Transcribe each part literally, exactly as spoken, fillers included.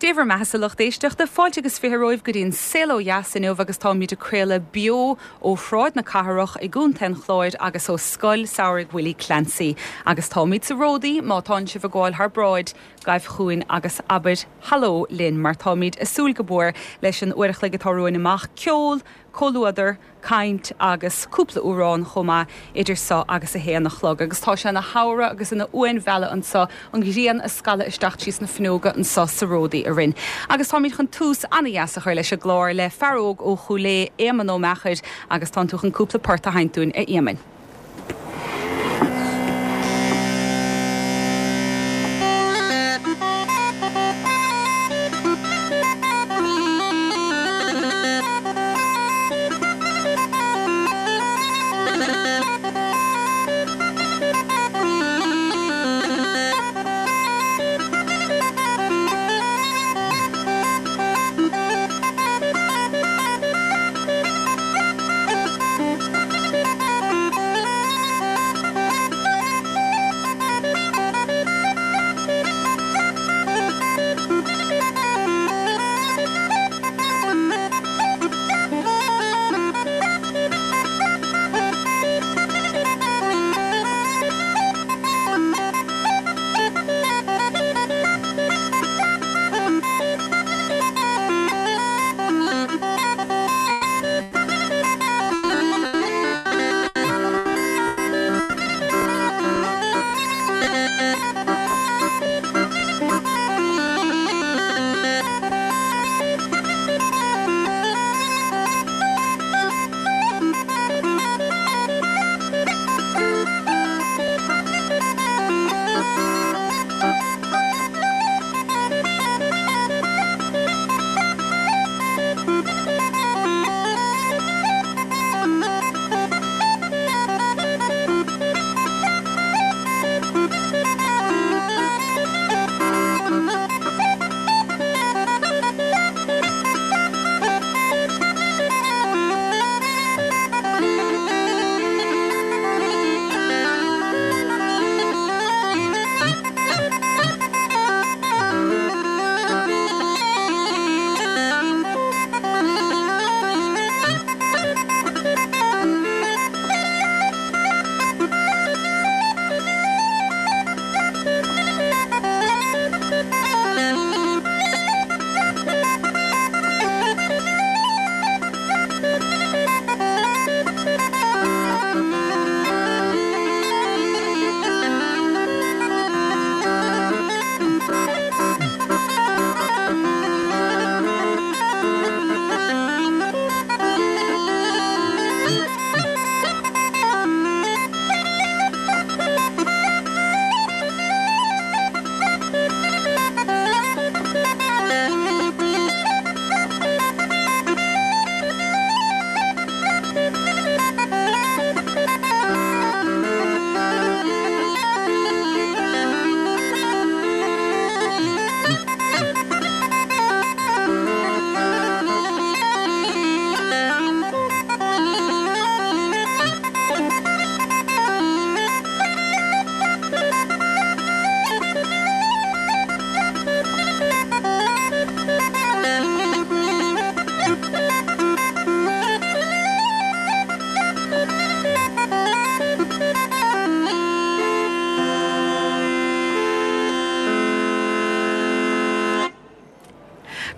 Dé bhur mbeatha a lucht éisteachta, fáilte agus fiche romhaibh go dtí an Saol Ó Dheas inniu agus táimid ag craoladh beo ó Shráid na Cathrach i gContae an Chláir agus ó Scoil Samhraidh Willie Clancy. Agus táimid sa Ródaí, má tánn sibh ag gabháil thar bráid, gabh chugainn agus abair haló linn mar táimid ag súil go mór leis an uair a chloig atá romhainn amach, ceol, comhluadar, caint agus cúpla amhrán chomh maith idir seo agus a haon a chlog. Agus tá sé ina shamhradh agus ina uainmhealladh anseo, an ghrian ag scalladh isteach tríos na fuinneoga anseo sa Ródaí a Rinn. Agus táimid chun tús an-dheas a chur leis an gclár le fear óg ó Chúil Aodha, Éamonn Ó Meachair, agus tánn tú chun cúpla port a sheinnt dúinn, a Éamoinn.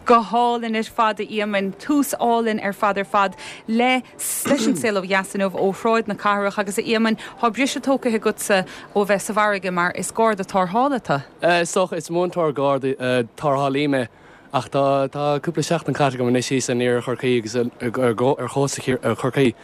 Go hálainn ar fad a Éamoinn, tús álainn ar fad ar fad le leis an Saol Ó Dheas inniu ó Shráid na Cathrach agus a Éamoinn, tá briseadh tógtha agatsa ó bheith sa bhfarraige mar is garda tarrthála tú. Is dócha, is múinteoir garda tarrthálaí mé ach tá tá cúpla seachtain caite agam anois thíos in iarthar Chorcaí agus ar chósta Chorcaí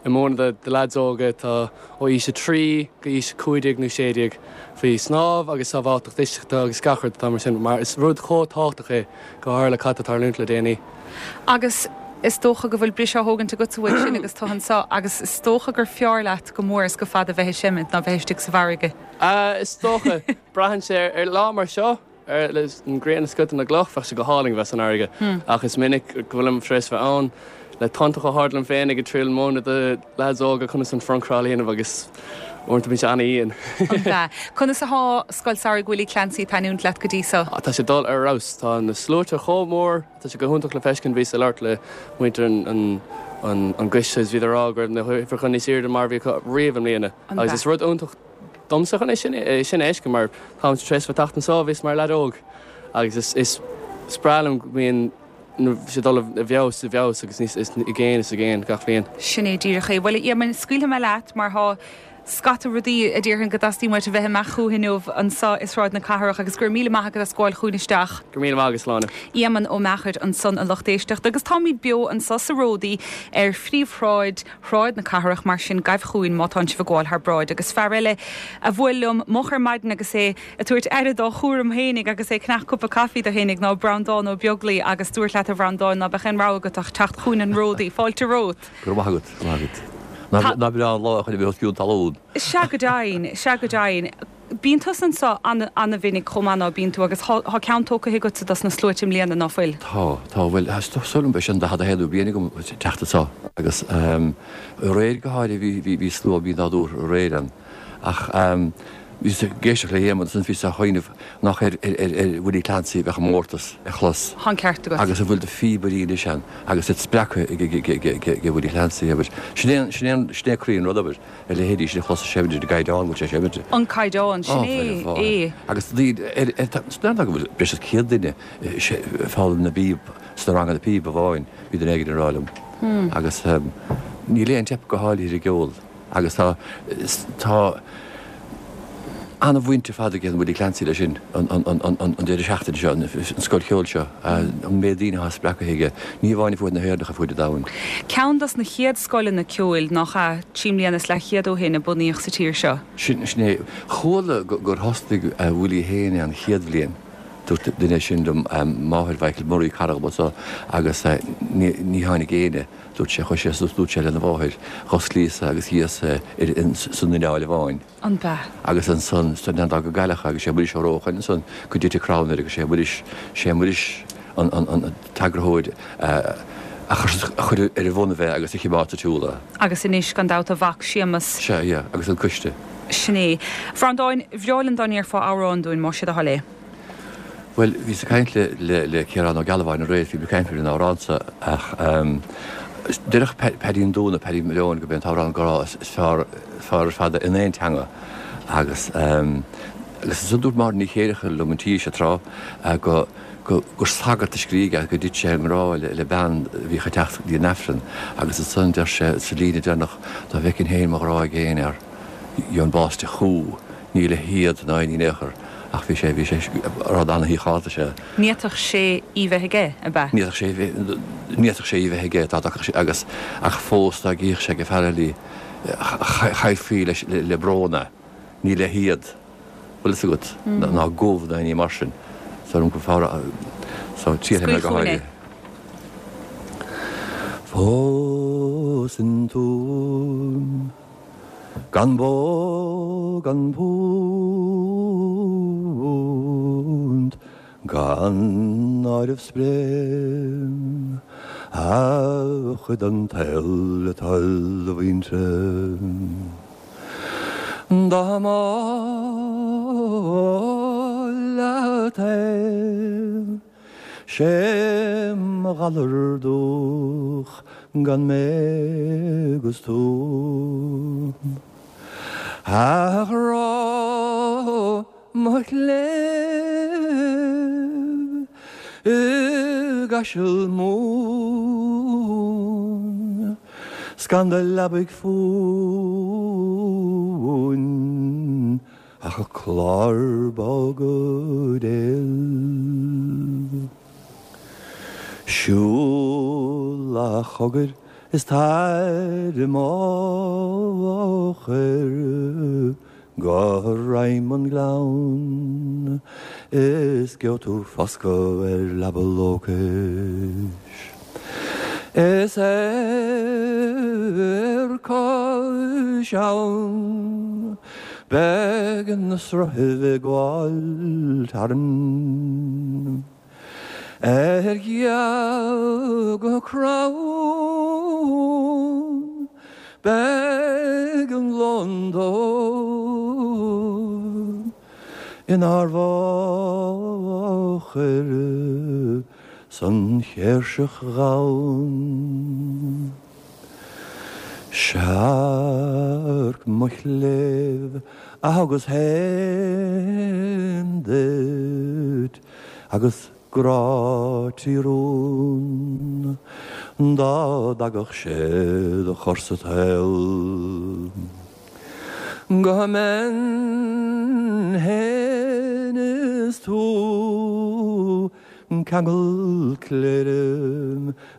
ag múineadh do leaids óga atá ó aois a trí go aois a cúig déag nó sé déag faoi snámh agus sábháilteacht uisceachta agus gach rud atá mar sin mar is rud chomh tábhachtach é go háirithe le cad atá ag tarlúint le déanaí. Agus is dócha go bhfuil briseadh á thógaint agatsa uaidh sin agus tú anseo agus is dócha gur fearr leat go mór is go fada bheith ag seimint ná bheith istigh sa bhfarraige. Is dócha. Braitheann sé ar lá mar seo. Ar leis an ghrian ag scoitheadh na gcloch, bheadh sé go hálainn bheith san fharraige, ach is minic go bhfuilim tar éis bheith ann le tonnta chomh hard liom féin ag triail múineadh do leaids óga conas an front crawl a dhéanamh agus Uaireanta bíonn sé an-íon. An ea? Conas atá Scoil Samhraidh Willie Clancy ag taitneamh leat go dtí so? Tá sé dul ar fheabhas, tá na sluaite chomh mór, tá sé go hiontach le feiscint bhíos ag labhairt le muintir an an an gcoiste is bhíodar ag rá go raibh na huimhreacha níos airde mar bhí acu riamh i mbliana. Agus is rud iontach domsa chun é sin é sin a fheiscint mar táim tar éis bheith teacht anseo bhíos mar leaid óg agus is is is breá liom go mbíonn sé dul i bhfeabhas i bhfeabhas agus níos is i gcéin is i gcéin gach bliain. Sin é díreach é. Bhuel Éamonn, scaoilfidh mé leat mar tá scata rudaí a déarfainn go dteastaíonn uait a bheith amach chucu inniu anseo i Sráid na Cathrach agus go raibh míle maith agat as gabháil chugainn isteach. Go raibh míle maith agat Sláine. Éamonn Ó Meachair ansan a lucht éisteachta agus táimid beo anseo sa Ródaí ar phríomhshráid Shráid na Cathrach mar sin gabh chugainn má tá sibh ag gabháil thar bráid agus fear eile a bhuail liom moch ar maidin agus é ag tabhairt aire dá chúram fhéinig agus é ag ceannach cupa caife dó fhéinig ná Breandán Ó Beaglaoi agus dúirt leat a Bhreandáin ná beadh aon rogha agat ach teacht chugainn an Ródaí. Fáilte romhat. Go raibh maith agat, go raibh maith agat. Nach breá an lá chun a bheith os cionn talún. Sea go deimhin, sea go deimhin. Bíonn tusa anseo an-mhinic chomh maith ná bíonn tú agus tá ceann tógtha agatsa dos na sluaite i mbliana, ná fuil? Tá, tá, bhuel, is dóigh liom b'é sin an daichead a haonú bliain agam teacht anseo agus aréir go háirithe bhí, bhí, bhí slua mí-nádúrtha aréir ann ach bhíos ag éisteacht le hÉamonn ansan bhíos á chuimhneamh nach ar, ar, ar, ar Willie Clancy a bheadh an mórtas a chlos. Tá an ceart agat. Agus a bhfuil de phíobairí anois ann agus iad spreagtha ag, ag, ag, ag, ag, ag Willie Clancy, abair. Sin é an, sin é an, sin é croí an rud, abair, a leithéidí sin a chlos ag seimint ar an gcaighdeán go bhfuil sé ag seimint. An caighdeán, sin é, é. Agus daoine, ar, ar, tá, is go bhfuil breis is céad duine ag foghlaim na bpíob sna ranganna píob amháin, bhí duine éigin ag rá liom. Agus níl aon teip go háirithe ar an gceol agus tá, tá an-bhaint ar fad ag an Willie Clancy leis sin, an, an, an, an, an deireadh seachtaine seo, an, an scoil cheoil seo, an méid daoine atá spreagtha aige, ní amháin ar fuaid na hÉireann ach ar fuaid an domhain. Ceann dos na chéad scoileanna ceoil nach ea, trí mbliana is leathchéad ó shin a bunaíodh sa tír seo. Sin, sin é. Chuala gur thosnaigh Willie féin é an chéad bhliain. Dúirt duine sin liom, máthair Mhichael Murray, cara dhom anso, agus ní, ní tháinig éinne, dúirt sé, chuaigh sé suas, dúirt sé lena mháthair, dh'osclaíos-sa agus dhíos-sa san ineall amháin. An b'ea? Agus ansan, san dá go gcailleach agus sé Muiris Ó Rócháin ansan go dtitfeadh crann air agus sé Muiris, sé Muiris an, an, an t-eagarthóir a, a chuir ar a bhonnaibh é agus a chimeád sa tsiúl é. Agus anois, gan dabht, a mhac Séamus. Sea, yeah, agus an coiste. Sin é. Bhreandáin, bhreá linn dá ndéarfá amhrán dúinn, más é do thoil é. Bhuel, bhíos ag caint le, le, le Ciarán Ó Gealbháin aréir, bhí mé ag caint ar an amhrán so ach déarfadh Paddy an Dúna, Paddy Malone, gurb é an t-amhrán grá is fearr, fearr ar fad in aon teanga agus agus ansan dúirt Máire Ní Chéileachair liom an tí seo tráth go, go, gur sagart a scrígh é, go dtit sé i ngrá le, le bean a bhíodh ag teacht go dtí an Aifreann agus ansan deir sé sa líne deireanach dá bhfeicfinn féin mo ghrá i gcéin air, gheobhainn bás de chú, ní le héad ná in aon chor. Ach bhí sé, bhí sé, rud ana-shíochánta sé. Ní fhéadfadh sé í bheith aige, ab ea? Ní fhéadfadh sé, ní fhéadfadh sé í bheith aige, dá dtagadh sé, agus, ach fós dá gcífeadh sé ag fear eile í, chaillfí leis, le brón é. Ní le héad, bhfuil fhios agat, ná gomh ná aon ní mar sin. So, go fearr, so, triailfidh mé Scaoil go chugainn é. háirithe. Fós in Tuaim. Gan bó gan púnt, gan áireamh 's bréan, a chuid den tsaol le toil a mhuintire. Dá mb'áil leat é, 'sé mo ghalar dúch gan mé 'gus tú. A ghrá mo chléibh i gCaiseal Mumhan 's gan do leabaidh fúinn Ach clár bog béil. Siúl a chogair is tar i m'fhochair go droim an ghleann is gheobhaidh tú foscadh ar leaba lócais. Is ar cois abhann beidh na sruthaibh ag gabháil tharainn. Ar ghealga crann Beidh an londóir inár bhfochair san chéirseach dhomhain. Searc mo chléibh a thugas féin duit agus grá trí rún dá dtagadh sé do chur sa tsaol. Go mbeinn féin is tú ceangal cléire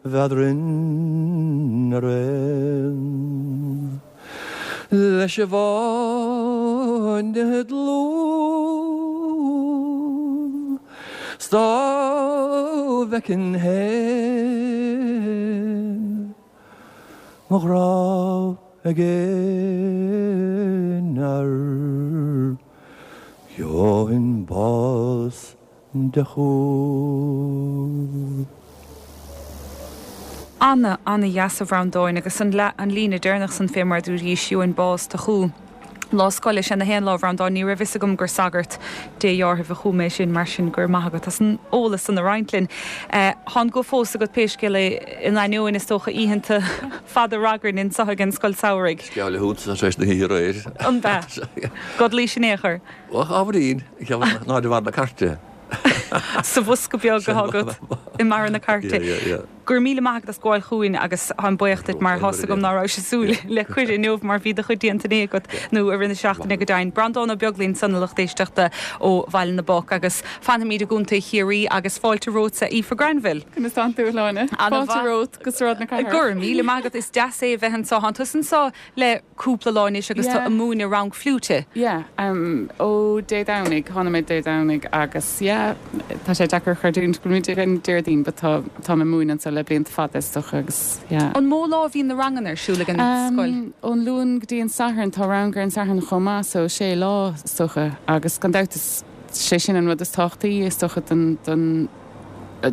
bheadrainn araon. Leis an bhfáinne dlúth 's dá bhfeicfinn féin mo ghrá ag aon fhear gheobhainn bás de chú. Ana, ana dheas a Bhreandáin agus an, an líne deireanach san fé mar dúirt gheobhainn bás de chú. Lá scoile sin na haon lá Bhreandáin ní raibh fhios agam gur sagart Dé dheartháir a chum é sin mar sin gur maith agat as an eolas san a roinnt linn. Eh, Tá an guth fós agat pé scéal é in ainneoin is dócha oícheanta fada ragairne anseo ag an scoil samhraidh. Sceall le húntas tar éis na hoíche aréir. An bea. Godlaí sin échar. Och ábhairín ná de bharr na cairte. Sa bhosca beag atá agat i mbarra na cairte. Gur míle maith agat as gabháil chugainn agus táim buíoch duit mar tá a fhios agam ná raibh sé súil le cuireadh inniu mar bhí do chuid déanta agat nó i rith na seachtaine go deimhin. Breandán Ó Beaglaoich ansan a lucht éisteachta ó Bhaile na bPoc agus fanfaimid i gContae Chiarraí agus fáilte romhat Aoife Granville. Conas tánn tú Shláine. Fáilte romhat go Sráid na Cathrach. Gur míle maith agat is deas é a bheith anseo tá tusa anseo le cúpla lá anois agus tá ag múineadh rang fliúite. Yeah, um, ó Dé Domhnaigh tháinig mé Dé Domhnaigh agus yeah, tá sé deacair a chreidiúint go bhfuil an Déardaoin, but tá tá mé ag múineadh anseo le blianta fada is dócha agus yeah. An mó lá a bhíonn na ranganna ar siúl ag an scoil? Um, ón Luan go dtí an Satharn tá rang ar an Satharn chomh maith so sé lá is dócha agus gan dabht is sé sin an rud is tábhachtaí is dócha don don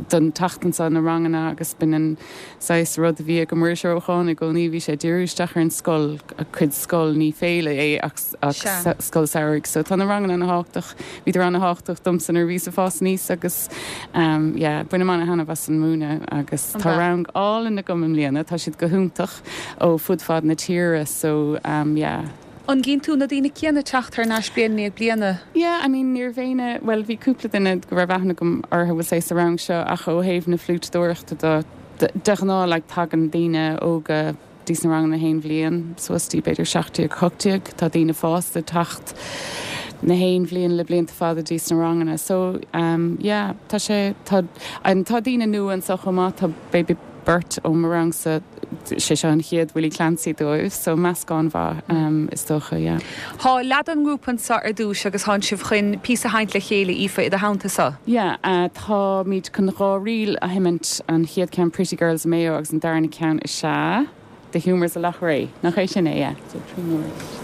don teacht anseo na ranganna agus b'in an saghas rud a bhí ag Muiris Ó Rocháin i gcónaí bhí sé díriú isteach ar an scoil a cuid scoil ní féile é ach ach Sea. scoil samhraidh, so tá na ranganna an-tábhachtach bhíodar an-tábhachtach domsa nuair a bhíos ag fás aníos agus um, yeah, bainim an-taitneamh as an múineadh agus An tá bea? rang álainn agam i mbliana, tá siad go hiontach ó fud fad na tíre so um, yeah. An gcíonn tú na daoine céanna teacht thar n-ais bliain i ndiaidh bliana? Yeah, I mean níor bhéine well bhí cúpla duine go raibh aithne agam orthu bhfuil sé sa rang seo ach ó thaobh na fliútadóireachta do de ghnáth like, tagann daoine óga dtí na ranganna haon bhliain suas dtí b'fhéidir seacht déag ocht déag tá daoine fásta teacht na haon bhliain le blianta fada dtí na ranganna so um, yeah, tá sé tá an tá daoine nua anseo chomh maith tá baby beirt ó mo rangsa sé seo an chéad Willie Clancy dóibh so meascán mhaith um, is dócha yeah. Tá leath den ngrúpa anseo ar dtús agus tá sibh chun píosa a sheinnt le chéile Aoife i do theannta sa. Yeah, uh, táimid chun dhá ríl a sheinnt an chéad ceann Pretty Girls Mayo agus an darna ceann is ea The Humours of Loughrea. Nach é sin é, yeah. So, trí nóiméad.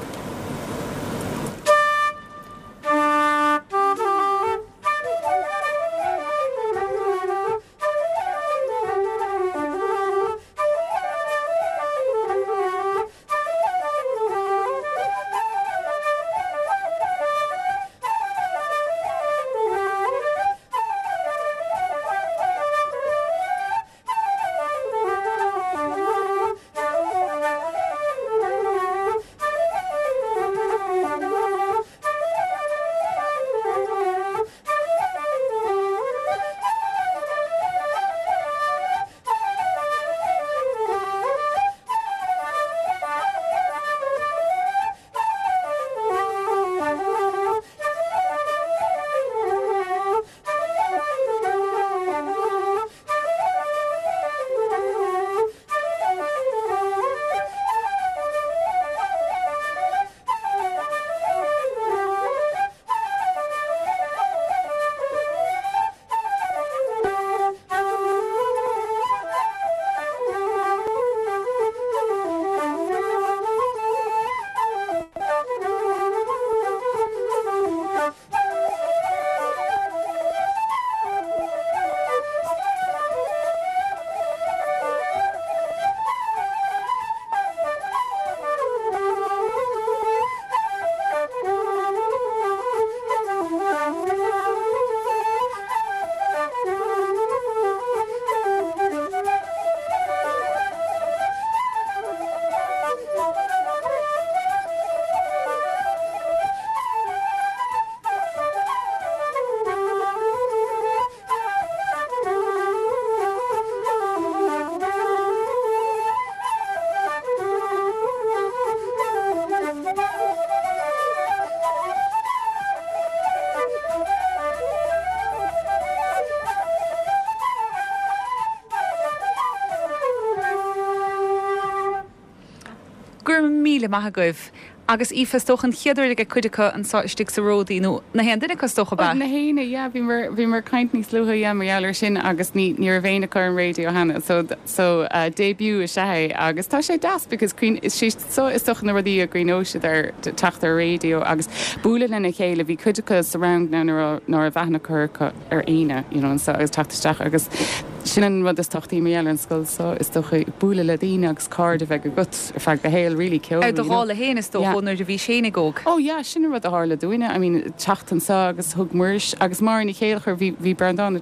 Thank you. míle maith agaibh. Agus Aoife is dócha an chéad uair ag cuid acu anseo istigh sa Ródaí nó na haon duine acu is dócha Na héinne yeah, bhí mar bhí mar caint níos luaithe yeah, mar gheall air sin agus ní ní raibh aon acu ar an radio cheana so so uh, debut is ea é agus tá sé deas because cuimhin is sé so is dócha na rudaí a gcuimhneoidh siad ar teacht ar radio agus bualadh lena chéile bhí cuid acu sa rang ná ná a bheith cur ar aoine you know, so agus teacht isteach agus sin an rud is tábhachtaí mar gheall ar an scoil so is dócha bualadh le daoine agus cairde bheith agat ar feadh do shaoil really ceol. Ar do dhála féin is dócha nuair a bhí sé óg. Oh yeah, sin an rud a tharla dúinne, I mean teacht anseo agus thug Muiris agus Máire Ní Chéilleachair bhí bhí Breandán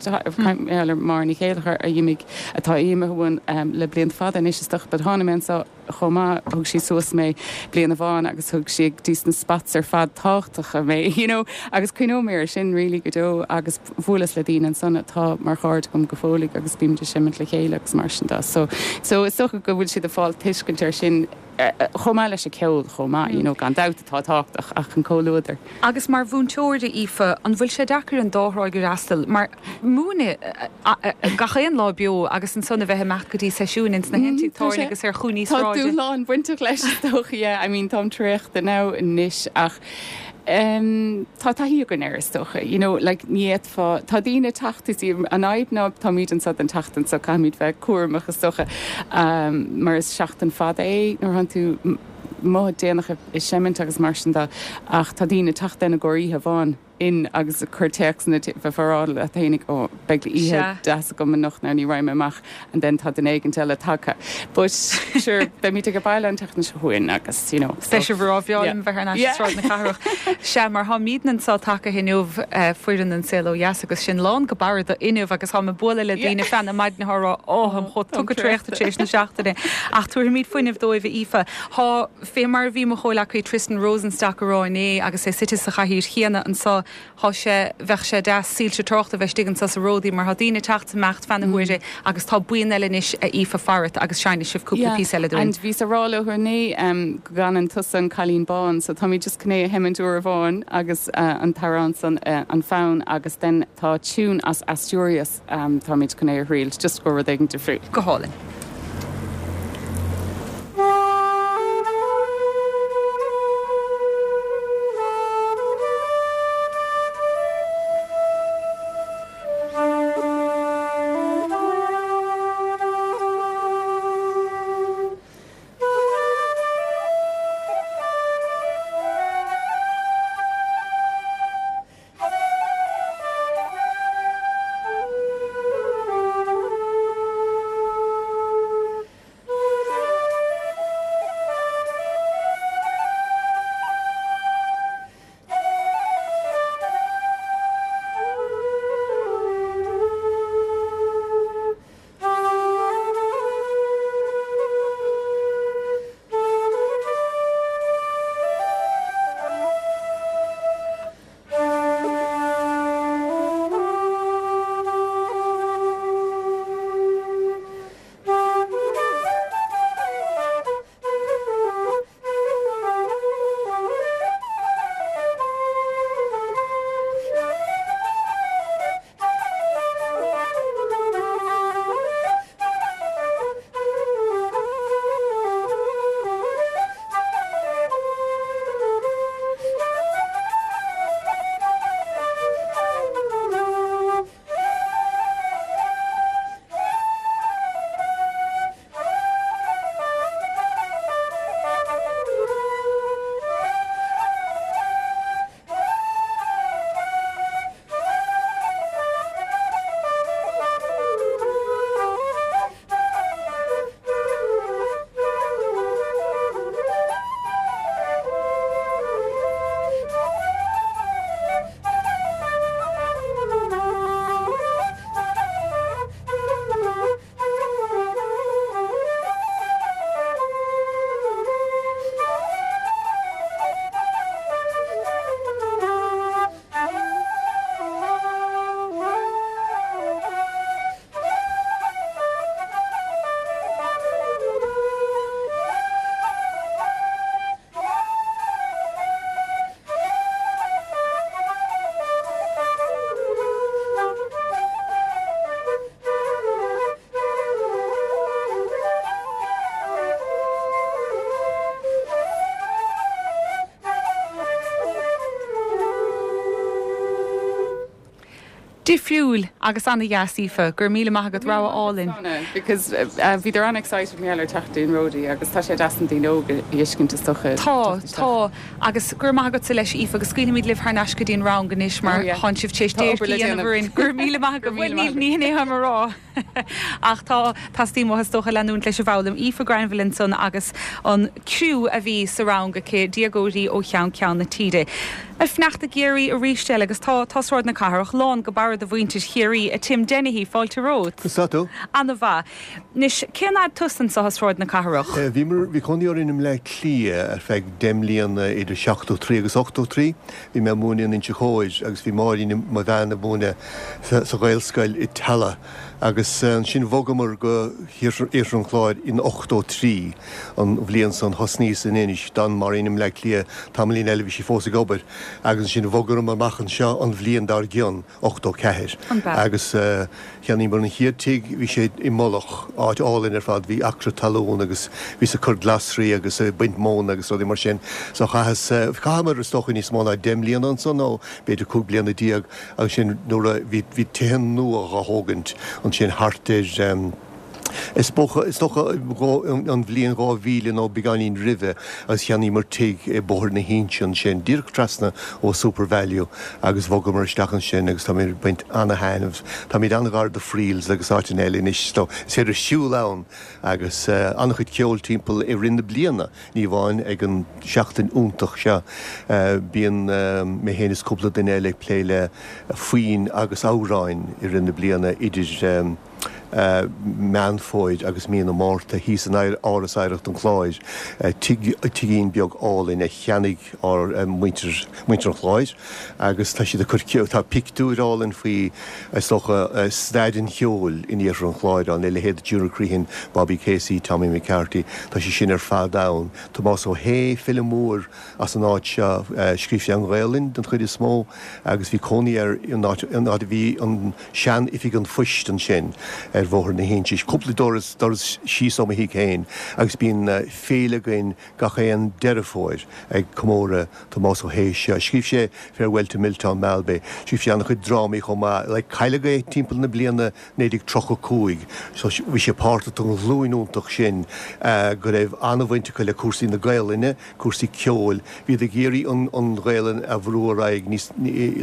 mar Ní Chéilleachair a d'imigh atá imithe uainn um, le blianta fada anois is dócha but tháinig mé anseo chomh maith thug sí suas mé bliain amháin agus thug sí dtí na spots ar fad tábhachtacha mé you know agus cuimhneoidh mé air sin really go deo agus bhuaileas le daoine ansan atá mar chairde agam go fóill agus bímid ag seimint le chéile agus mar sin de so so is dócha go bhfuil siad ag fáil tuiscint ar sin chomh maith leis an ceol chomh maith you know gan dabht atá tábhachtach ach an comhluadar. Agus mar mhúinteoir Aoife an bhfuil sé deacair an dá thrá a fhreastal mar múineadh gach aon lá beo agus ansan a bheith amach go dtí seisiúin ins na haon tigh tábhairne agus ar chúinní sráide. Tá dúshlán bainteach leis is dócha yeah, I mean táim traochta now anois ach um, tá taithí againn air is dócha you know like ní fhéadfá tá daoine teacht is an fhadhb ná táimid anseo don tseachtain so caithfimid bheith cúramach is dócha um, mar is seachtain fada é nuair atánn tú amuigh déanach ag seimint agus mar sin de ach tá daoine teacht ina gcomhair oíche amháin in agus cur téacs na bheith farráil a thénig ó beidh oíche deas agam anocht ná ní raghaidh mé amach and then tá duine éigin eile tagtha. But sure beimid ag baile an tseachtain seo chugainn agus you know. Beidh sibh róbhreá bheith ar Sráid na Cathrach. Sea mar táimid anseo tagtha inniu foireann an Saol Ó Dheas agus sin lán go barra inniu agus tá ag bualadh le daoine feadh na maidine á rá ó táim chomh tugtha traochta tar éis na seachtaine ach tabharfaimid fuinneamh dóibh Aoife. Tá fé mar a bhí mo chomhghleacaí Tristan Rosenstock a rá inné agus é suite sa chathaoir chéanna anseo Tá sé bheadh sé deas soilse tráchta a bheith istigh anseo sa Ródaí mar tá daoine ag teacht amach feadh na huaire agus tá buíon eile anois a Aoife farat agus seinnfidh sibh cúpla píosa eile dúinn. And bhíos ag rá leo inné um, go gcanann tusa an Cailín Bán, so táimid just chun é a sheimint uair amháin agus uh, an t-amhrán san uh, an fonn agus then tá tune as Asturias um, táimid chun é a thriail, just go rud éigin difriúil. Go hálainn. Difriúil agus an-dheas Aoife, go raibh míle maith agat rogha álainn. Because uh, bhí an-excited mé teacht in Ródaí agus tá sé deas an daoine óga a fheiscint is dócha. Tá tá agus gur maith agat leis Aoife agus scaoilfimid libh thar n-ais go dtí an rang anois mar Oh, yeah. tá sibh tar éis Tá obair le déanamh. gur míle maith go bhfuil níl ní é mar rá. Ach tá teastaíonn uathu is dócha leanúint leis an bhfoghlaim Aoife Granville ansan agus an criú a bhí sa rang aici déagóirí ó cheann ceann na tíre. Ag fanacht i gCiarraí arís eile agus tá tá Sráid na Cathrach lán go barra de mhuintir Chiarraí a Tim Dennehy fáilte romhat. Sato. An-mhaith. Anois cén fhad tusa anseo i Sráid na Cathrach. Bhí bhí cónaí orainn i mBleá Cliath ar feadh deich mbliana idir seachtó trí agus ochtó trí, bhí mé múineadh in Inse Chór agus bhí Máirín mo bhean ag múineadh sa Ghaelscoil i Tallaght. agus sin bhogamar go hIarthar an Chláir in ochtó trí an bhliain san thosnaíos in Inis d'fhan Máirín i mBleá Cliath tamaillín eile bhí sí fós ag obair agus sin bhogamar amach anseo an bhliain dár gcionn ochtó ceathair. Agus uh, cheannaíomar an chéad tigh bhí sé i Mullach áit álainn ar fad bhí acra talún agus bhí ag cur glasraí agus baint móna agus rudaí mar sin so chaitheas chaitheamar is dócha níos mó ná deich mbliana ansan nó b'fhéidir cúig bliana déag agus sin nuair bhí bhí tithe nua á dtógaint ansin thart ar um, Is is dócha an bhliain dhá mhíle nó beagáinín roimhe agus cheannaíomar tigh i Bóthar na hInse ansin, díreach trasna ó SuperValu agus bhogamar isteach ansin agus tá baint an-taitneamh. Tá míad an-ghar do Friels agus áiteanna eile anois is féidir siúl ann agus uh, an-chuid ceol timpeall i rith na bliana ní amháin ag an seachtain iontach seo uh, bíonn uh, mé féin is cúpla duine eile ag plé le foinn agus amhráin i rith na bliana idir um, Uh, Meán Fómhair agus mí na Márta thíos in Áras Oidhreachta an Chláir uh, tigín beag álainn a cheannaigh ár uh, muintir an Chláir agus tá siad tá pictiúr álainn faoi is dócha staid an cheoil in Iarthar an Chláir an le leithéid Junior Crehan, Bobby Casey, Tommy McCarthy, tá sé sin ar fad ann. Tomás Ó hÉ file mór as an áit seo scríobh sé an Ghaelainn den chuid is mó agus bhí cónaí air an áit bhí an sean-oifig an phoist ansin ar Bhóthar na hInse. Cúpla doras doras síos ó mo thigh féin agus bíonn uh, féile againn gach aon Deireadh Fómhair ag comóradh Tomás Ó hÉ seo. Scríobh sé Farewell to Milltown Malbay. Scríobh sé an-chuid drámaí chomh maith le cailleadh é timpeall na bliana naoi déag tríocha cúig, so bhí sé páirteach an ghlúin iontach sin uh, go raibh an-bhaint acu le cúrsaí na Gaelainne, cúrsaí ceoil, bhí ag iarraidh an, an Ghaelainn a bhrú ar aghaidh níos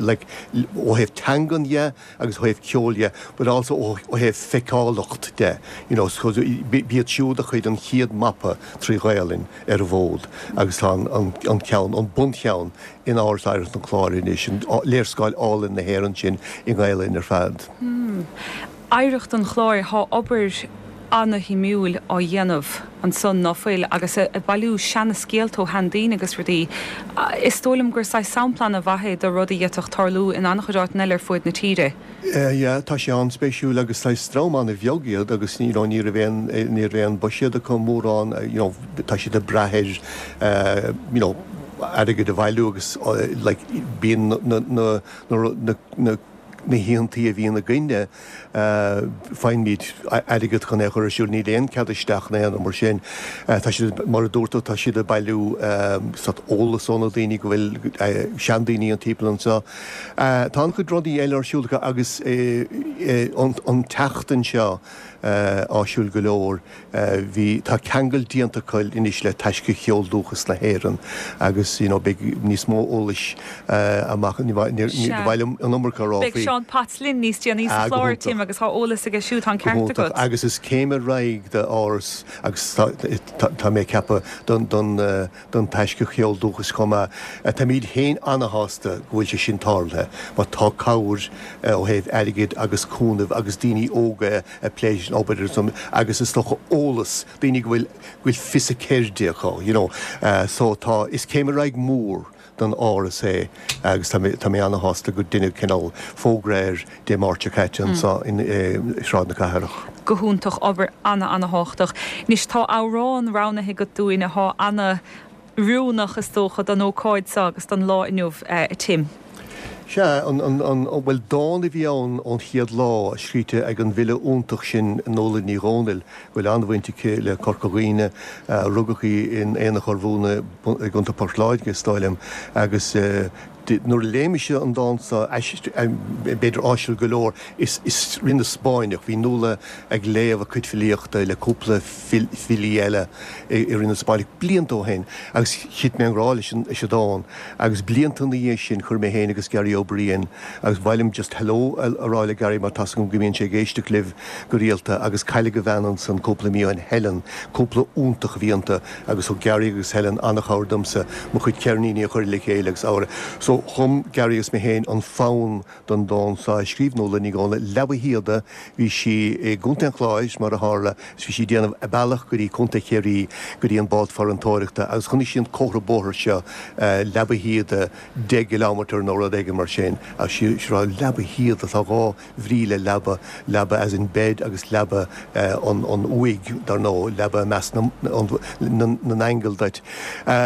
like, ó thaobh teangan dhe agus ó thaobh ceoil dhe, but also ó thaobh feiceálacht de. You know, so b'iad siúd a chuir an chéad mapa trí Ghaelainn ar an bhfód agus tá an, an, an ceann an buncheann in Áras Oidhreachta an Chláir anois an léarscáil álainn na hÉireann sin i nGaelainn ar fad. Hmm. Oidhreacht an Chláir tá obair an-shuimiúil á dhéanamh ansan ná fuil agus ag bailiú seanscéalta ó sheandaoine agus rudaí. Is dóigh liom gur saghas sampla an-mhaith é de rudaí a d'fhéadfadh tarlú in an-chuid áiteanna eile ar fud na tíre. Ja, tá sé an-spéisiúil agus tá dream an-bheag iad agus ní ní bhíonn ní bhíonn buiséad acu mórán tá siad ag brath ar airgead a bhailiú agus like, bíonn na na na na na hoícheantaí a bhíonn againne faighimid airgead chun é chur ar siúl níl aon cead isteach ná aon mar sin tá siad mar a dúirt tá siad ag bailiú sórt eolas ó na daoine go bhfuil seandaoine an timpeall anseo. Tá an-chuid rudaí eile ar siúl agus an tseachtain seo áisiúil go leor bhí tá ceangal déanta acu anois le Taisce Cheol Dúchas na hÉireann agus you know, beidh níos mó eolais amach an iomarca rá. Beidh Seán Potts linn níos déanaí sa chlár Tim agus tá eolas aige siúd an ceart agat. Agus is céim ar aghaidh d'Áras agus tá mé ag ceapadh don don don Taisce Cheol Dúchas chomh maith. Táimid féin an-shásta go bhfuil sé sin tarlaithe, mar tá cabhair ó thaobh airgid agus cúnamh agus daoine óga a plé obair agus is dócha eolas daoine go bhfuil bhfuil fios a ceirde acu, you know. Uh, so tá is céim ar aghaidh mór don Áras é agus tá mé an-shásta go ndearnadh cineál fógra air Dé Máirt seo caite anseo in Sráid na Cathrach. Go hiontach obair an-an-thábhachtach. Anois tá amhrán roghnaithe agat dúinn atá an-oiriúnach is dócha don ócáid seo agus don lá inniu uh, Tim. Sea, an, an, an, bhuel dán a bhí ann ón chéad lá scríte ag an bhfile iontach sin Nola Ní Dhomhnaill, bhfuil an-bhaint aici le Corca Dhuibhne, uh, rugadh í in Aonach Urmhumhan i gContae Port Láirge is dóigh liom agus uh, Nuair a léigh mise an dán seo, b'fhéidir áisiúil go leor, is i rith na Spáinneach, bhí Nuala ag léamh a cuid filíochta le cúpla filí eile i rith na Spáinneach blianta ó shin agus thit mé i ngrá leis an dán agus blianta ina dhiaidh sin chuir mé féin agus Gary Ó Briain agus ba mhaith liom just hello a rá le Gary mar tá's agam go mbíonn sé ag éisteacht libh go rialta agus cailleadh a bhean ansan cúpla mí ó shin, Helen, cúpla iontach a bhí iontu agus thug Gary agus Helen an-chabhair domsa mo chuid ceirníní a chur le chéile agus amhrán. So chum Gary agus mé féin an fonn don dán seo a scríobh Nuala Ní Dhomhnaill, Leaba Shíoda, bhí sí i gContae an Chláir mar a tharla is bhí sí ag déanamh a bealach go dtí Contae Chiarraí go dtí an bád farantóireachta agus chonaic sí an comhartha bóthair seo Leaba Shíoda deich gcileámeter nó rud éigin mar sin agus sí ag rá Leaba Shíoda tá dhá bhrí le leaba, leaba as in bed agus leaba an an uaigh dar ndóigh, leaba i measc na na n-aingeal duit.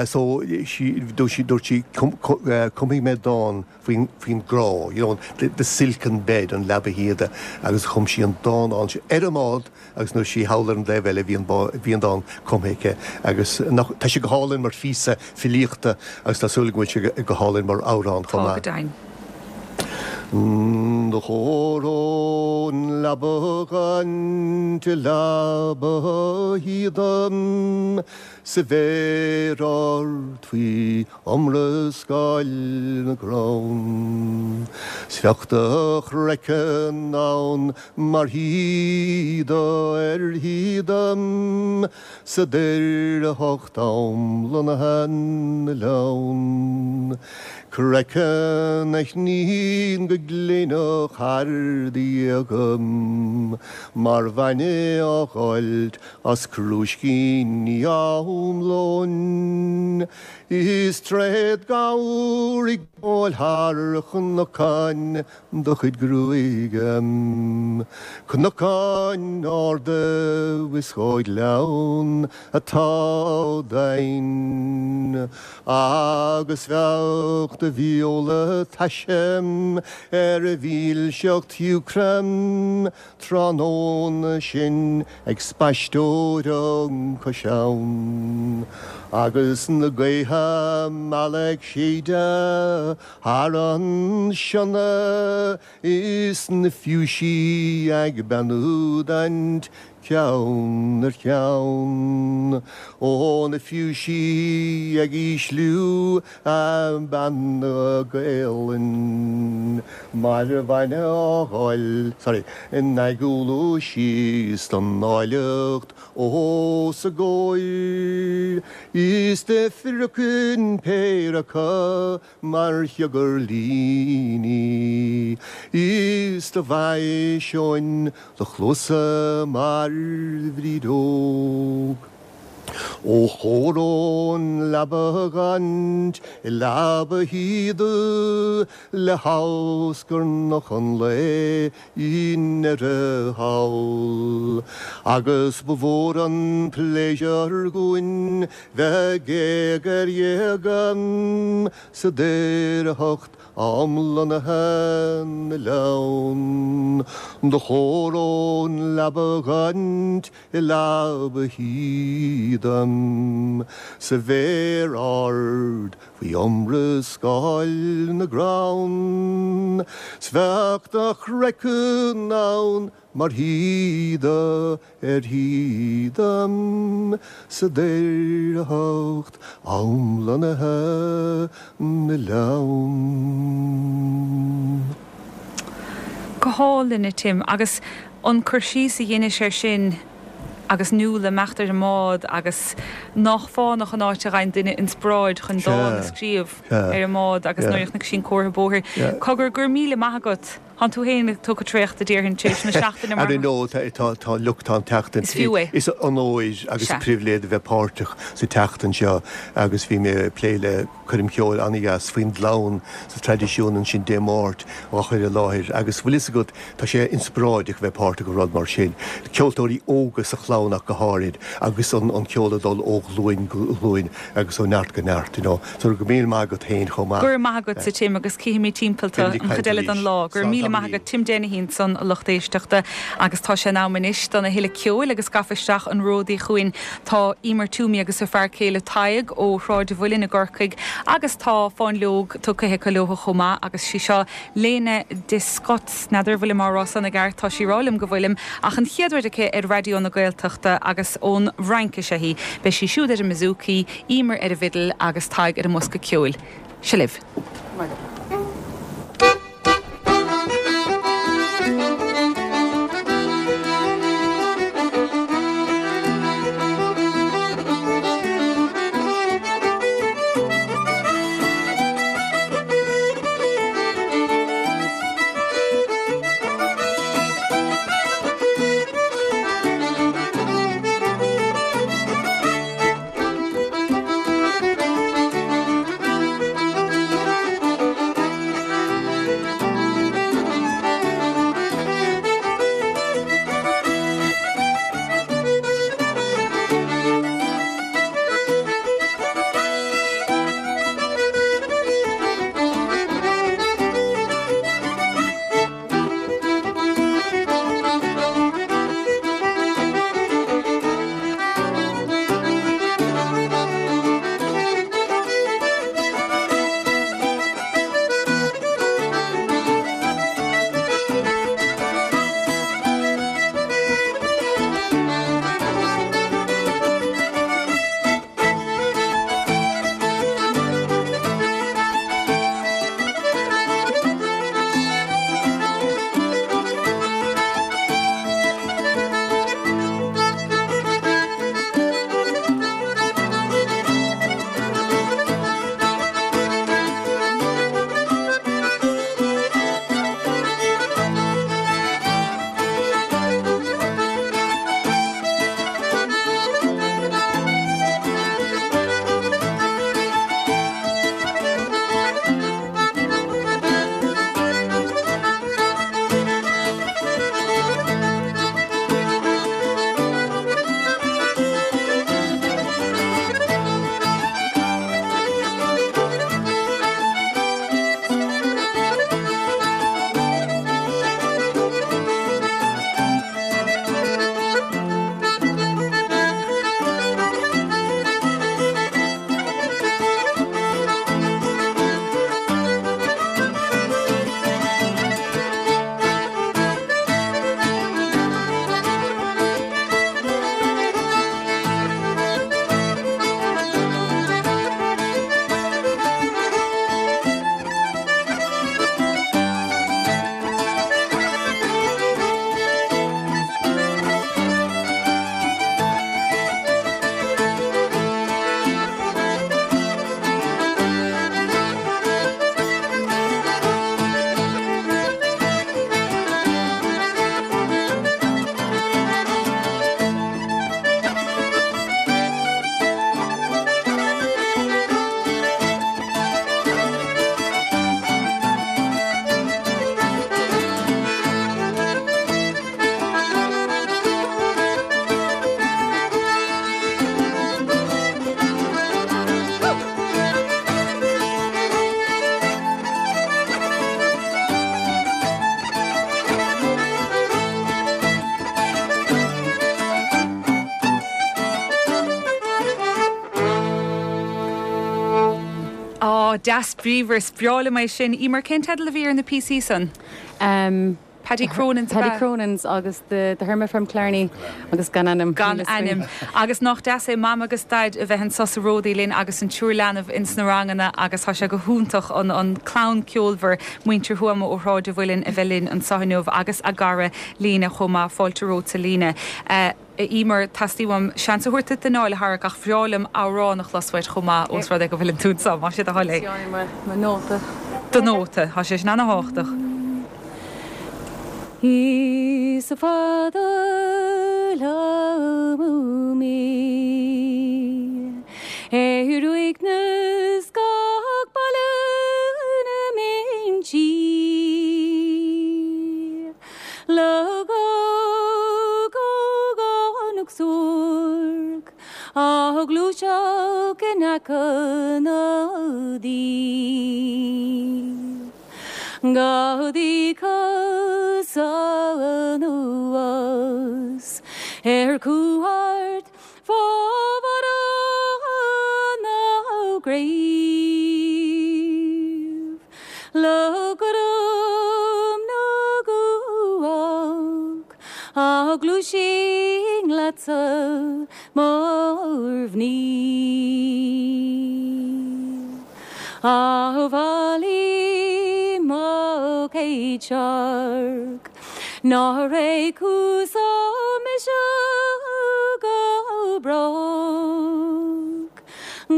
So sí dúirt sí dúirt sí cumfaidh mé dán faoin faoin grá, you know, the the silken bed, an leaba shíoda agus chum sí an dán ann ar an mbád agus nuair sí thall ar an dtaobh eile bhí an bhí an dán cumtha aici agus nach tá sé go hálainn mar phíosa filíochta agus tá súil go bhfuil sé go hálainn mar amhrán chomh Tá maith. go deimhin. Do chomhaireoinn leaba ghaint i leaba shíoda sa bhféar ard faoi iomrascáil na gcrann. 'S bheadh do chraiceann ann mar shíoda ar shíoda sa daorthacht am lonnaithe na oileán. Craiceann a shníonn go gléineach thar do ghéaga mar bhainne á ghoilt as crúiscíní am lóin. Is tréad gabhar ag gabháil thar chnocáin do chuid gruaige, cnocáin arda is dhá ghleann atá doimhin. Agus bheadh do bheola taise ar a mhílseacht shiúcra tráthnóna sin ag spaisteoireacht cois abhann. Agus na gaotha malla ag séideadh thar an sionna is na fiúisí ag beannú duit ceann ar cheann. Ó na fiúisí ag ísliú a mbeanna Gaelainn mar bhainne á ghoil, sorry, in ag úlú síos don áilleacht os a gcomhair. Is do phriocann péire acu mar chiogarlíní, is do mhaiseoinn do chluasa mar bhrídeog. Ó chomhaireoinn leaba ghaint i leaba shíoda le hamhscarnach an lae i ndeireadh thall. Agus ba mhór an pléisiúr dhúinn bheith géag ar ghéag sa daorthacht am lonnaithe na oileán. Do chomhaireoinn leaba ghaint i leaba shíoda sa bhféar ard faoi iomrascáil na gcrann. 'S bheadh do chraiceann ann mar shíoda ar shíoda sa daorthacht am lonnaithe na oileán. Go hálainn a Tim agus an cur síos a dheinis air sin agus Nuala imeacht ar an mbád agus nach fánach an áit a ghaibh duine inspioráid chun dán a scríobh ar an mbád agus nuair a chonaic sí an comhartha bóthair. Cogar go raibh míle maith agat. Tá tú féin tugtha traochta déarfainn tar éis na seachtaine mar. Ar ndóigh tá tá lucht tá an tseachtain. Is fiú é. Is onóir agus pribhléid a bheith páirteach sa tseachtain seo agus bhí mé ag plé le coirm cheoil an-dheas faoin gclann sa traidisiún ansin Dé Máirt á chur i láthair agus bhfuil fhios agat tá sé inspioráideach bheith páirteach i rud mar sin. Ceoltóirí óga sa chlann ach go háirid agus an an ceol ag dul ó ghlúin go glúin agus ó neart go neart, you know. So go míle maith agat féin chomh maith. Go raibh maith agat a Tim agus cífimid timpeall Beimid ag an caint chuid eile arís. den lá. Go raibh míle maith agat Tim Dennehy ansan a lucht éisteachta agus tá sé in am anois don a thuilleadh ceoil agus gafa isteach an ródaí chugainn tá Emer Toomey agus a fear céile Tadhg ó Shráid Mhuilinn i gCorcaigh Agus tá fáinleog tugtha aici leo chomh maith agus sí seo Lena de Scott n'fheadar bhfuilim á rá san i gceart tá sí ag rá liom go bhfuilim ach an chéad rud aici ar Raidió na Gaeltachta agus ón Fhrainc is ea í. Beidh sí siúd ar an mbouzouki, Emer ar an bhfidil agus Tadhg ar an mbosca ceoil. Seo libh. Deas bríomhar is breá liom é sin. Emer cén teideal a bhí ar na píosaí san? Um, Paddy Cronin's Paddy Cronin's agus the, the Hermit from Killarney agus gan ainm. Gan ainm. Agus nach deas é mam agus daid a bheith anseo sa Ródaí linn agus an triúr leanbh ins na ranganna agus tá sé go hiontach an an clann ceolmhar muintir Thuama ó Shráid an Mhuilinn a bheith linn anseo inniu agus a gcara Líne chomh maith fáilte romhat a Líne. Uh, Emer teastaíonn seans a thabhairt d'anáil a tharrac ach bhreá liom amhrán a chlos uait chomh maith ós rud é go bhfuil tú anseo má sé do thoil é. Mo nóta. Do nóta, tá sé sin an-tábhachtach. Is fada liom mé ar uaigneas gach baile na mBinsí Le ógánach suairc á gluaiseacht in aice na dí. Gabhaidí cosa anuas ar cuairt fá bharra na gréine. Bheinn leatsa mar mhnaoi. A Mhailí mo chéad searc, Nár éag thusa mise go brách,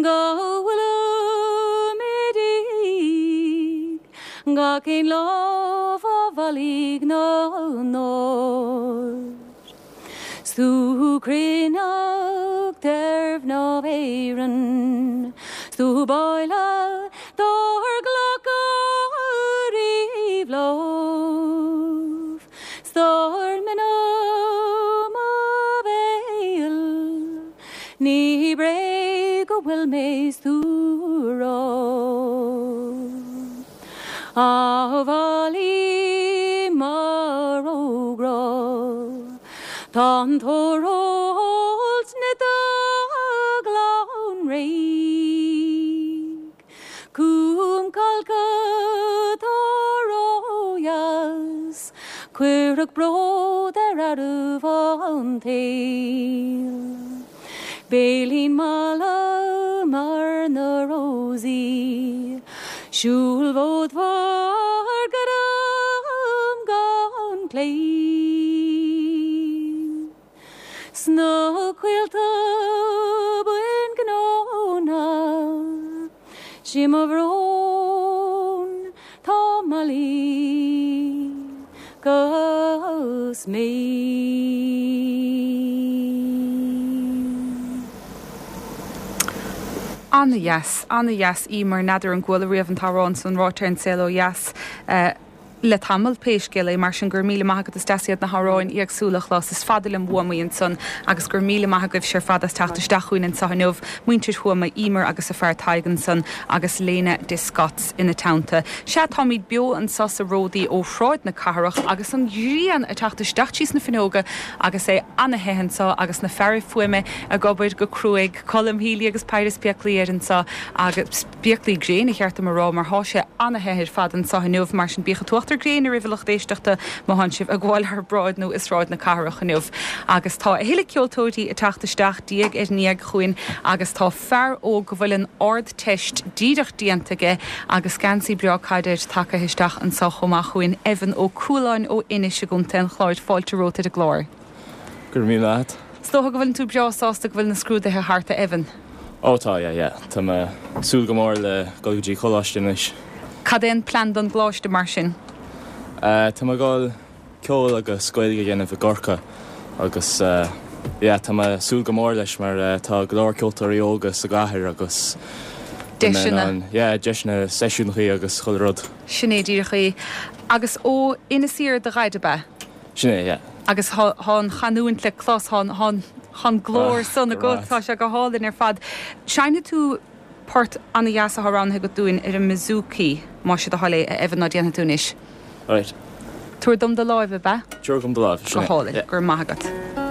Go bhfuilim i ndiaidh gach aon lá fá bhealaigh na n-ór. 'S tú cruithneacht ar mhná Éireann, 's tú b'áille dár glacadh riamh lámh, 's dár mbinne mo bhéal, ní bréag go bhfuil mé 's tú rá. A Mhailí mo róghrá, Tá an tóir na glan réidh, Cúm calca tá ródheas, Cuireadh bród ar fhearaibh an tsaoil. Béilín malla mar na rósaí, Siúlfad bhur gcurám gan claí. Sna coillte buin gnóna, Sí mo bhrón tá Mailí gus mé. An-dheas, an-dheas Emer n'fheadar an gcuala riamh an t-amhrán san ráite ar an Saol Ó Dheas. Uh, le tamall pé scéal é mar sin gur míle maith agat is deas iad na hamhráin éagsúla a chlos is fada liom uaim ansan agus gur míle maith agaibhse ar fad as teacht isteach chugainn anseo inniu muintir Thuama Emer agus a fear Tadhg ansan agus Léna de Scots ina teannta. Sea táimid beo anseo sa Ródaí ó Shráid na Cathrach agus an ghrian ag teacht isteach trí na fuinneoga agus é an-the anseo agus na fearaibh fuaime ag obair go cruaidh Colm Healy agus Pius Spéaclaí ar anseo agus spéaclaí gréine cheart dom a rá mar thá sé an-the ar fad anseo inniu mar sin bíodh an t-uachtar gréine oraibh a lucht éisteachta má thánn sibh ag gabháil thar bráid nó i Sráid na Cathrach inniu. Agus tá a thuilleadh ceoltóirí ag teacht isteach diaidh ar ndiaidh chugainn agus tá fear óg go bhfuil an Ardteist díreach déanta aige agus geansaí breá caide air tagtha isteach anseo chomh maith chugainn Evan Ó Cualáin ó Inis i gContae an Chláir fáilte romhat ar an gclár. Gur mí leat. Is dócha go bhfuil tú breá sásta go bhfuil na scrúduithe thart a Evan. Ó tá yeah, yeah. Tá mé ag súil go mór le dul go dtí coláiste anois. Cad é an plean don gcoláiste mar sin? Uh, tá mé ag dul ceol agus Gaeilge a dhéanamh i gCorcaigh agus uh, yeah, tá mé ag súil go mór leis mar uh, tá go leor ceoltóirí óga sa gcathair agus Deiseanna. Yeah, deiseanna seisiúnacha agus chuile rud. Sin é díreach é. Agus ó Inis Oírr do dhaid ab ea? Sin é, yeah. Agus thá an chanúint le clos thá an glór Ah, san go agat tá sé go hálainn ar fad. Seinnfidh tú port an-dheas atá roghnaithe agat dúinn ar an mbouzouki má sé do thoil é a Evan ná déanfaidh tú anois. Right. Tabhair dom do láimh ab ea? Tabhair dom do láimh. Go hálainn, go raibh maith agat. Thank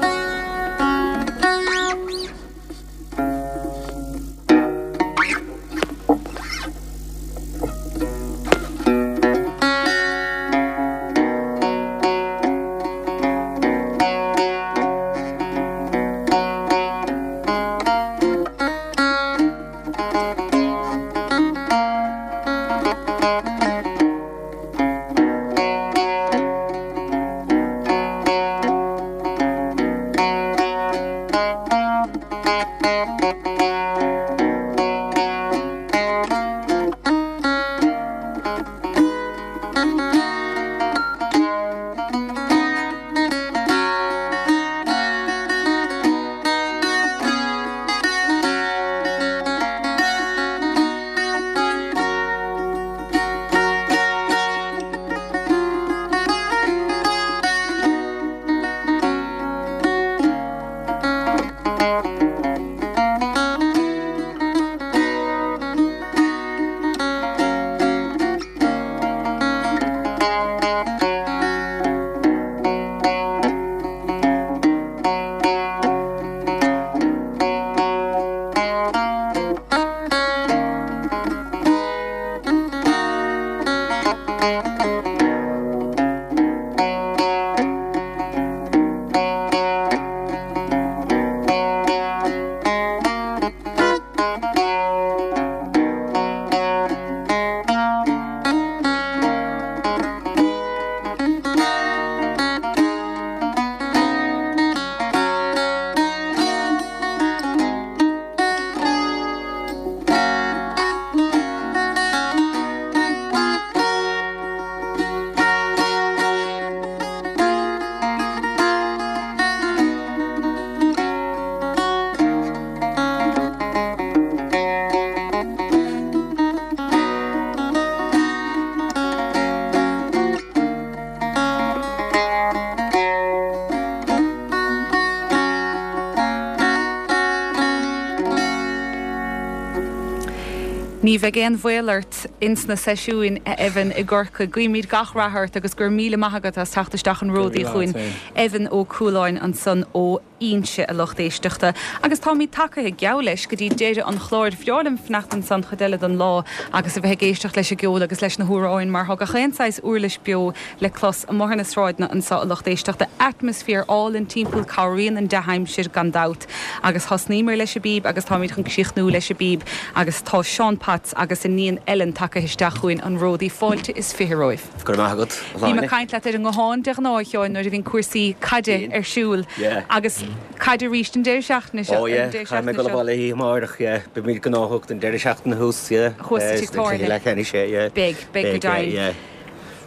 Ní bheidh aon bhaol ort ins na seisiúin a Evan i gCorcaigh. Guímid gach rath ort agus go raibh míle maith agat as teacht isteach an Ródaí chugainn. Evan Ó Cualáin ansan ó Inse a lucht éisteachta. Agus táimid tagtha geall leis go dtí deireadh an chláir. Bhreá liom fanacht ansan chuid eile den lá agus a bheith ag éisteacht leis an gceol agus leis na hamhráin mar tá gach aon saghas uirlis beo le clos amuigh ar na sráideanna anseo a lucht éisteachta. Atmaisféar álainn timpeall cabhraíonn an dea-aimsir gan dabht. Agus thosnaíomar leis an bpíb agus táimid chun críochnú leis an bpíb agus tá Seán Potts agus a iníon Ellen tagtha isteach chugainn an Ródaí fáilte is fiche romhaibh. Go raibh maith agat. Bím ag caint leat ar an nguthán de ghnáth a Sheáin nuair a bhíonn cúrsaí caide ar siúl agus caide arís an deireadh seachtaine seo. Ó yeah, caithfidh mé dul abhaile oíche amárach, yeah. Beimid gnóthach don deireadh seachtaine thuas, yeah. Thuas sa tigh tábhairne. Sé, yeah. Beidh, beidh go deimhin. Yeah.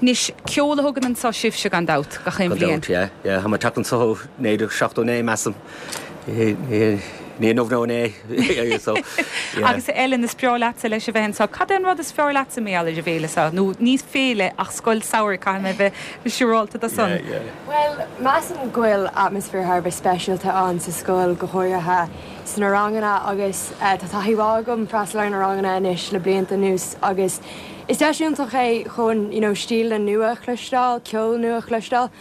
Anois, ceol a thugann anseo sibhse gan dabht, gach aon Gan bhliain. dabht, yeah, yeah. Tá mé ag teacht anseo ó naoi déag seachtó naoi, measaim. Ní inniu nó inné, so, yeah. Agus a Ellen, is breá leatsa leis a bheith anseo. Cad é an rud is fearr leatsa mar gheall ar an bhféile seo? Nó ní féile ach scoil samhraidh, caithfidh mé a bheith siúrálta de san. Yeah, yeah. Bhuel, measaim go bhfuil atmaisféar thar a bheith speisialta ann sa scoil go háirithe sna ranganna agus tá taithí mhaith agam freastal ar na ranganna anois le blianta anuas agus is deis iontach é chun you know, stíle nua a chloisteáil, ceol nua a chloisteáil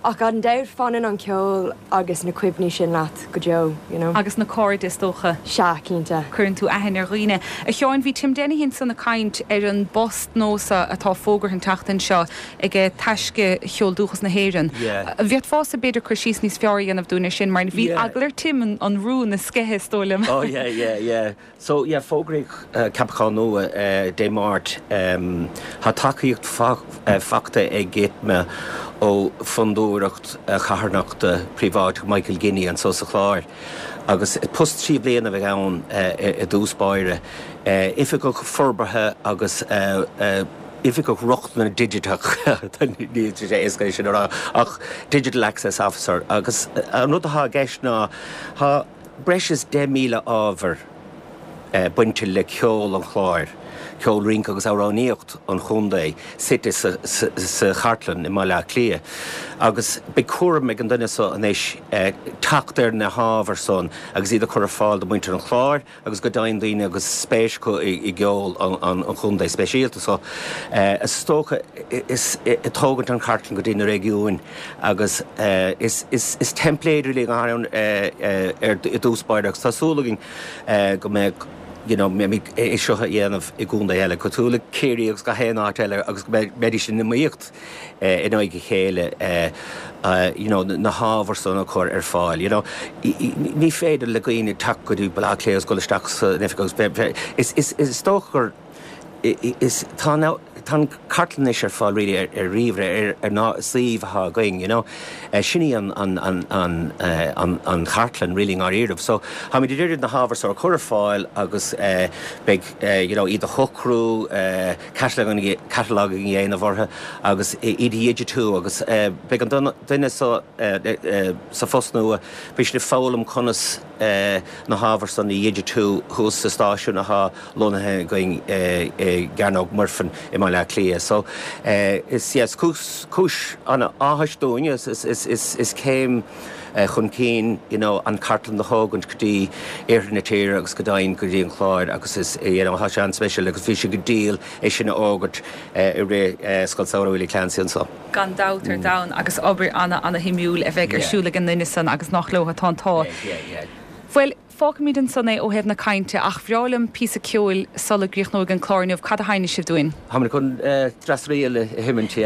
ach gan dabht fanann an ceol agus na cuimhní sin leat go deo, you know. Agus na cairde is dócha. Sea, cinnte. Cuireann tú aithne ar dhaoine. A Sheáin, bhí Tim Dennehy ansan ag caint ar an bpost nua atá fógartha an tseachtain seo ag Taisce Cheol Dúchas na hÉireann. Yeah. Bhféadfása b'fhéidir cur síos níos fearr a dhéanamh dúinn ar sin, mar bhí Yeah. eagla ar Tim an, an rún a sceitheadh is dóigh liom. Oh yeah, yeah, yeah. So yeah, fógraíodh uh, ceapachán nua uh, Dé Máirt um, Tá tacaíocht fa uh, faighte ag ITMA ó fondúireacht uh, charthanachta príobháideach Michael Guinea anseo sa Chlár. Agus post trí bliana a bheidh ann uh, i dtús báire. Uh, Oifigeach forbartha agus uh, uh, Oifigeach rochtana digiteach ní sé éasca sin rá ach Digital Access Officer agus an rud atá i gceist ná tá breis is deich míle ábhar eh, bainte le ceol an Chláir, ceol rince agus amhránaíocht an chontae suite sa, sa, sa chartlann i mBaile Átha Cliath. Agus beidh cúram ag an duine seo anois eh, teacht ar na hábhair san agus iad a chur ar fáil do mhuintir an Chláir agus go deimhin daoine agus spéis acu i, i gceol an, an, an chontae speisialta so eh, is dócha is ag tógaint an chartlann go dtí na réigiúin agus eh, is, is, is teimpléad really ann eh, eh, ar i dtús báire agus tá súil againn eh, go mbeidh you know, mé é seo a dhéanamh i gcontae eile, cosúil le Ciarraí agus gach aon áit eile agus go mbeidís in iomaíocht eh, in aghaidh a chéile eh, uh, you know, na hábhair san a chur ar fáil. You know, I, I, ní féidir le daoine teacht go dtí Baile Átha Cliath agus dul isteach san oifig agus be- is, is, is dócha gur is tá tá an cartlann ar fáil really ar, ar ríomhaire ar, ar ná suíomh atá againn, you know. Uh, sin í an, an, an, an, uh, an, an chartlann really ndáiríre. So táimid ag iarraidh na hábhair seo a chur ar fáil agus uh, beidh uh, you know, iad a shocrú uh, catalog a dhéanamh orthu agus iad a dhigitiú agus uh, beidh an duine so, uh, uh, sa phost nua beidh siad ag foghlaim conas uh, na hábhair san a dhigitiú thuas sa stáisiún atá lonnaithe againn uh, i gCearnóg Mhuirfean i mBaile Átha Cliath. So uh, is yes, cúis cúis an-áthais dúinn is, is, is, is, is céim uh, chun cinn you know, an chartlann a thógaint go dtí iarthar na tíre agus go deimhin go dtí an Clár agus is you know, tá sé an-speisialta agus bhí sé go diail é sin a fhógairt uh, i rith uh, Scoil Samhraidh Willie Clancy anseo. Gan dabht ar domhan agus obair ana ana-shuimiúil a bheidh ar Yeah. siúl ag an duine san agus nach leo atá an t-ádh. Yeah, yeah, yeah. Bhuel, fágfaimid ansan é ó thaobh na cainte ach bhreá liom píosa ceoil sula gcríochnóidh an clár inniu cad a sheinnfidh sibh dúinn. Tá chun Drasriel himint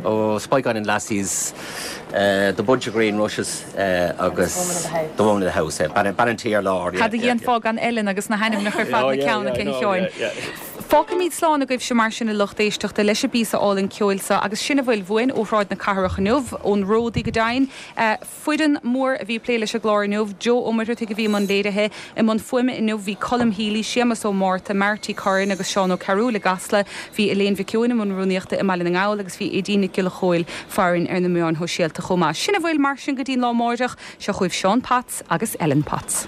ó Spike and Lassies uh, the bunch of green rushes uh, agus Woman of the House. the woman of the house ban an tí ar lár Cad a dhéanfá gan Ellen agus na hainmneacha ar fad na ceanna cé Sheáin. Fágfaimid slán agaibhse mar sin a lucht éisteachta leis an bpíosa álainn ceoil seo agus sin a bhfuil uainn ó Shráid na Cathrach inniu ón Ródaí go deimhin. Uh, Foireann mór a bhí ag plé leis an gclár inniu, Joe Ó Muircheartaigh a bhí i mbun léirithe i mbun fuaime inniu bhí Colm Healy, Séamus Ó Márta, Marty Curran agus Seán Ó Cearúil i gCasla, bhí Elaine Mhic Eoin i mbun rúnaíochta i mBaile na nGall agus bhí Aideen Nic Giolla Chóill farainn ar na meáin shóisialta chomh maith. Sin a bhfuil mar sin go dtí lá amárach seo chugaibh Seán Potts agus Ellen Potts.